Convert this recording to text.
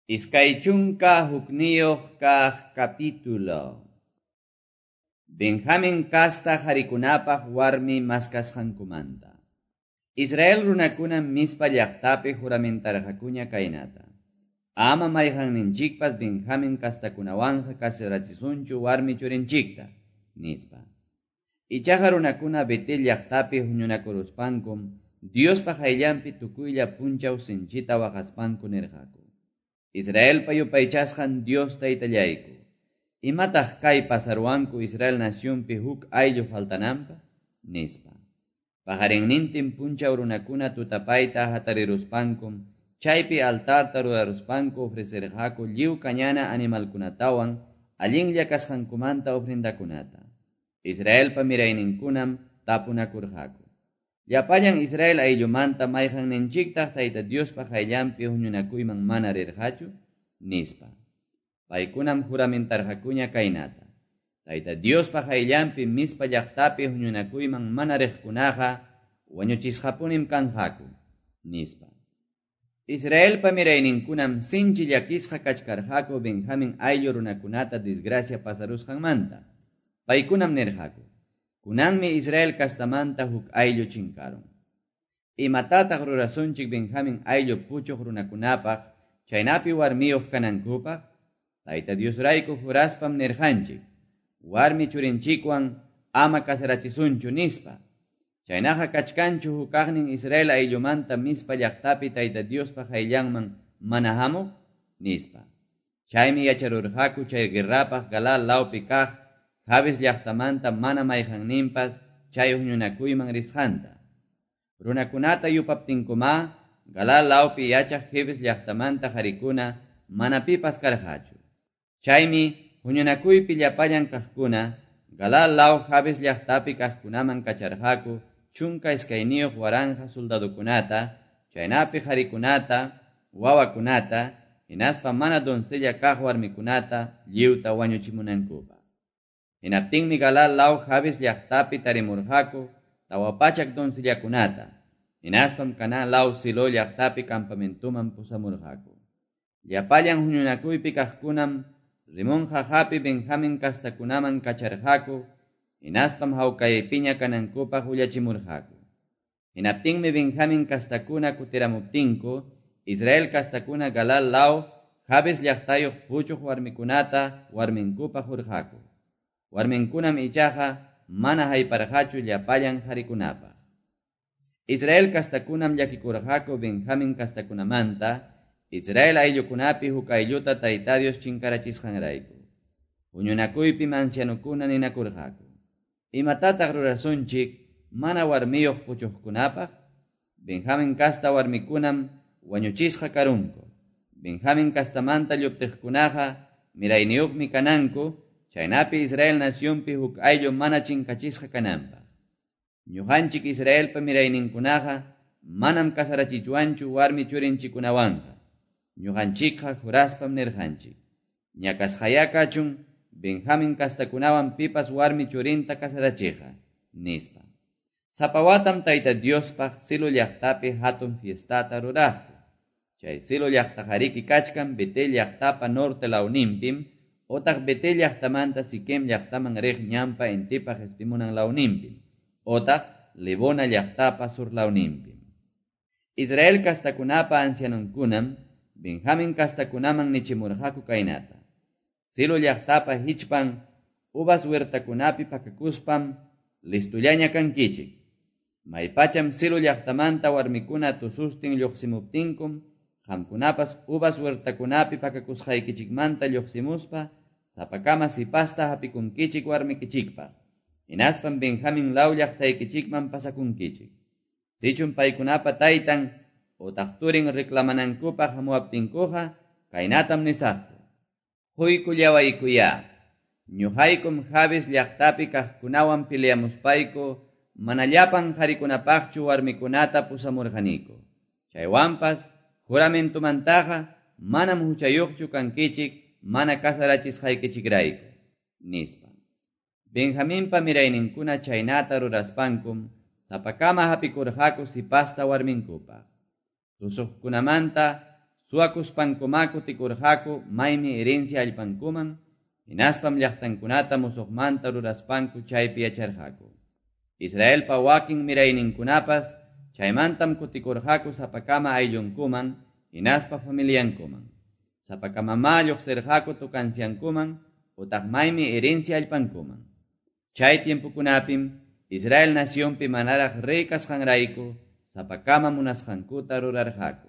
21 kaq capítulo. Benjamin kasta qarikunapaq warmi maskasqankumanta. Israel runakuna Mizpa llaqtapi juramentarqakuña kaynata. Ama mayqanninchikpas Benjamin kastakunawanqa casarachisunchu warmi churinchikta, nispa. Ichaqa runakuna Betel llaqtapi huñunakuruspankum Diospa qayllanpi tukuylla punchaw sinchita waqaspanku nirqaku. Israelpa yupaychasqan Dios taytallayku. Imataq kay pasaruwanku Israel nacionpi huk ayllu faltananpaq? Nispa. Paqarinnintin punchaw runakuna tutapayta hatariruspankum chaypi altarta ruraruspanku ofrecerqaku lliw kañana animalkunatawan allinlla kasqankumanta ofrendakunata. Israelpa mirayninkunam tapunakurqaku. Llapallan Israel ayllumanta mayqanninchiktaq Tayta Diospa qayllanpi huñunakuyman mana rirqachu? Nispa. Paykunam juramentarqakuña kaynata. Tayta Diospa qayllanpi Mizpa llaqtapi huñunakuyman mana riqkunaqa wañuchisqapunim kanqaku, nispa. Israelpa mirayninkunam sinchi llakisqa kachkarqaku Benjamin ayllu runakunata desgracia pasarusqanmanta. Paykunam nirqaku: Kunanmi Israel kastamanta huk ayllu chinkarun. Imatataq rurasunchik Benjamin ayllu puchuq runakunapaq chaynapi warmiyuq kanankupaq? Tayta Diosrayku juraspam nirqanchik, warmi churinchikwan ama casarachisunchu nispa. Chaynaqa kachkanchu hukaqnin Israel ayllumanta Mizpa llaqtapi Tayta Diospa qayllanman mana hamuq? Nispa. Chaymi yacharurqaku chay guerrapaq Galaad lawpi kaq Jabes llaqtamanta mana mayqanninpas chay huñunakuyman risqanta. Runakunata yupaptinkuma Galaad lawpi yachaq Jabes llaqtamanta qarikuna mana pipas karqachu. Chaymi huñunakuypi llapallan kaqkuna Galaad law Jabes llaqtapi kaqkunaman kacharqaku 12,000 soldadokunata, chaynapi qarikunata, wawakunata, hinaspa mana doncella kaq warmikunata lliwta wañuchimunankupaq. Hinaptinmi Galaad law Jabes llaqtapi tarimurqaku 400 doncellakunata, hinaspam Canaán law Silo llaqtapi campamentuman pusamurqaku. Llapallan huñunakuypi kaqkunam Rimón jaqapi Benjamin kastakunaman kacharqaku, hinaspam hawkaypiña kanankupaq willachimurqaku. Hinaptinmi Benjamin kastakuna kutiramuptinku, Israel kastakuna Galaad law Jabes llaqtayuq puchuq warmikunata warminkupaq hurqaku. Warminkunam ichaqa mana hayparqachu llapallan qarikunapaq. Israel kastakunam llakikurqaku Benjamin kastakunamanta, Israel ayllukunapi huk aylluta Tayta Dios chinkarachisqanrayku. Huñunakuypim ancianukuna ninakurqaku. Imatataq rurasunchik mana warmiyuq puchuqkunapaq? Benjamin kasta warmikunam wañuchisqa karunku. Benjamin kastamanta lluptiqkunaqa mirayniyuqmi kananku, chaynapi Israel nacionpi huk ayllu mana chinkachisqa kananpaq. Ñuqanchik Israelpa mirayninkunaqa manam casarachichwanchu warmi churinchikunawanqa. Ñuqanchikqa juraspam nirqanchik. Ñakasqaya kachun Benjamin kastakunawan pipas warmi churinta casarachiqa, nispa. Sapa watam Tayta Diospaq Silo llaqtapi hatun fiestata ruraqku. Chay Silo llaqtaqariki kachkan Betel llaqtapa norte lawninpim, otaq Betel llaqtamanta Siquem llaqtaman riq ñanpa intipa qespimunan lawninpim, otaq Lebona llaqtapa sur lawninpim. Israel kastakunapa ancianunkunam Benjamin kastakunaman nichimurqaku kaynata. Silo llaqtapa hichpan uvas huertakunapi pakakuspam listullaña kankichik. Maypacham Silo llaqtamanta warmikuna tusustin lluqsimuptinkum, qamkunapas uvas huertakunapi pakakusqaykichikmanta lluqsimuspa sapakama sipasta hapikunkichik warmikichikpaq. Hinaspam Benjamin law llaqtaykichikman pasakunkichik. Sichum paykunapa taytan otaq turin reclamanankupaq hamuwaptinkuqa kaynatam nisaqku. Quykullawaykuya. Ñuqaykum Jabes llaqtapi kaqkunawan peleamuspayku mana llapan qarikunapaqchu warmikunata pusamurqaniku. Chaywanpas juramentumantaqa manam huchayuqchu kankichik mana casarachisqaykichikrayku, nispa. Benjaminpa mirayninkuna chaynata ruraspankum sapakama hapikurqaku sipasta warminkupaq. Tusuqkunamanta Suwakuspankumá kutikurqaku maymi herencia allpankuman, hinaspam llaqtankunata musuqmanta ruraspanku chaypi yacharqaku. Israelpa wakin mirayninkunapas chaymantam kutikurqaku sapakama ayllunkuman, hinaspa familiankuman. Sapakamamá lluqsirqaku tukanciankuman, utaq maymi herencia allpankuman. Chay tiempokunapim Israel nacionpi manaraq rey kasqanrayku sapakama munasqankuta rurarqaku.